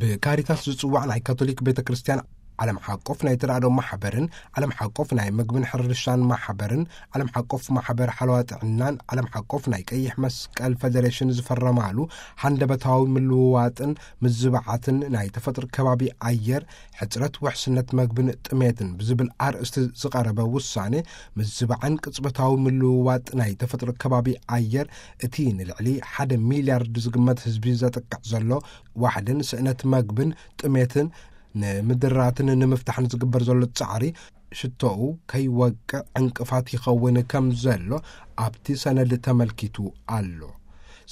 ብካሪታስ ዝጽዋዕ ናይ ካቶሊክ ቤተ ክርስቲያን ዓለም ሓቆፍ ናይ ተራድኦ ማሕበርን ዓለም ሓቆፍ ናይ ምግብን ሕርሻን ማሕበርን ዓለም ሓቆፍ ማሕበር ሓለዋ ጥዕናን ዓለም ሓቆፍ ናይ ቀይሕ መስቀል ፌደሬሽን ዝፈረማሉ ሃንደበታዊ ምልውዋጥን ምዝባዓትን ናይ ተፈጥሮ ከባቢ ኣየር፣ ሕጽረት ውሕስነት መግብን ጥሜትን ብዝብል ኣርእስቲ ዝቐረበ ውሳኔ፣ ምዝባዕን ቅጽበታዊ ምልውዋጥ ናይ ተፈጥሮ ከባቢ ኣየር፣ እቲ ንልዕሊ ሓደ ሚልያርድ ዝግመት ህዝቢ ዘጥቅዕ ዘሎ ዋሕድን ስእነት መግብን ጥሜትን ንምድራትን ንምፍታሕን ዝግበር ዘሎ ጻዕሪ ሽቶኡ ከይወቅዕ ዕንቅፋት ይኸውን ከም ዘሎ ኣብቲ ሰነድ ተመልኪቱ ኣሎ።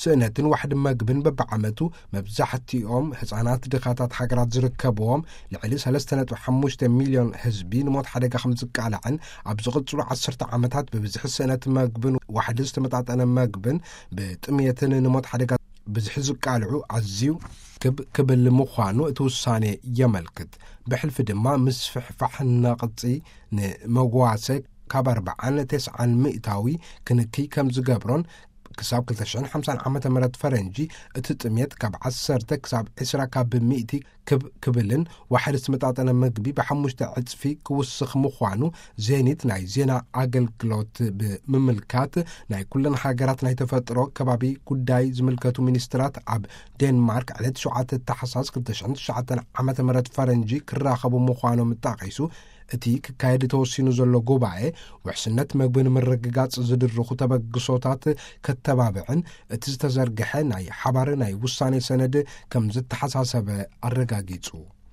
ስእነትን ዋሕዲ መግብን በብዓመቱ መብዛሕትኦም ህጻናት ድኻታት ሃገራት ዝርከብዎም ልዕሊ ሰለስተ ነጥቢ ሓሙሽተ ሚልዮን ህዝቢ ንሞት ሓደጋ ከም ዝቃላዕን ኣብ ዝቕጽሉ ዓሰርተ ዓመታት ብብዝሒ ስእነት መግብን ዋሕዲ ዝተመጣጠነ መግብን ብጥሜትን ንሞት ሓደጋ ብዝሒ ዝቃልዑ ኣዝዩ ክብ ክብል ምዃኑ እቲ ውሳኔ የመልክት። ብሕልፊ ድማ ምስፍሕፋሕ ነቕጺ ንመጓሰ ካብ ኣርብዓን ተስዓን ሚእታዊ ክንክይ ከም ዝገብሮን ክሳብ ክልተ ሽሕን ሓምሳን ዓመተ ምህረት ፈረንጂ እቲ ጥሜት ካብ ዓሰርተ ክሳብ ዕስራ ካብ ሚእቲ ክብ ክብልን ዋሕዲ ዝተመጣጠነ ምግቢ ብሓሙሽተ ዕጽፊ ክውስኽ ምዃኑ ዜኒት ናይ ዜና ኣገልግሎት ብምምልካት ናይ ኩለን ሃገራት ናይ ተፈጥሮ ከባቢ ጉዳይ ዝምልከቱ ሚኒስትራት ኣብ ዴንማርክ ዕለት ሸውዓተ ታሕሳስ ክልተ ሽሕን ትሽዓተን ዓመተ ምህረት ፈረንጂ ክራኸቡ ምዃኖም ጠቒሱ፣ እቲ ክካየድ ተወሲኑ ዘሎ ጉባኤ ውሕስነት መግቢ ንምርግጋጽ ዝድርኹ ተበግሶታት ከተባብዕን እቲ ዝተዘርግሐ ናይ ሓባር ናይ ውሳኔ ሰነድ ከም ዝተሓሳሰበ ኣረጋጊጹ።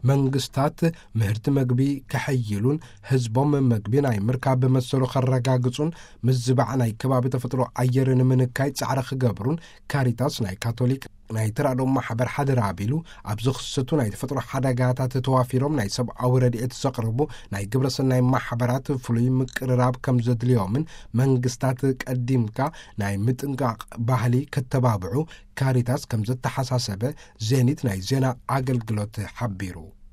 መንግስታት ምህርቲ መግቢ ከሐይሉን ህዝቦም መግቢ ናይ ምርካብ መሰሉ ከረጋግጹን ምዝባዕ ናይ ከባቢ ተፈጥሮ ኣየር ንምንካይ ጻዕሪ ክገብሩን ካሪታስ ናይ ካቶሊክ ናይ ተራድኦ ማሕበር ሓደራ ኣቢሉ ኣብ ዝኽሰቱ ናይ ተፈጥሮ ሓደጋታት ተዋፊሮም ናይ ሰብኣዊ ረድኤት ዘቕርቡ ናይ ግብረሰናይ ማሕበራት ፍሉይ ምቅርራብ ከም ዘድልዮምን መንግስታት ቀዲምካ ናይ ምጥንቃቕ ባህሊ ከተባብዑ ካሪታስ ከም ዘተሓሳሰበ ዜኒት ናይ ዜና ኣገልግሎት ሓቢሩ።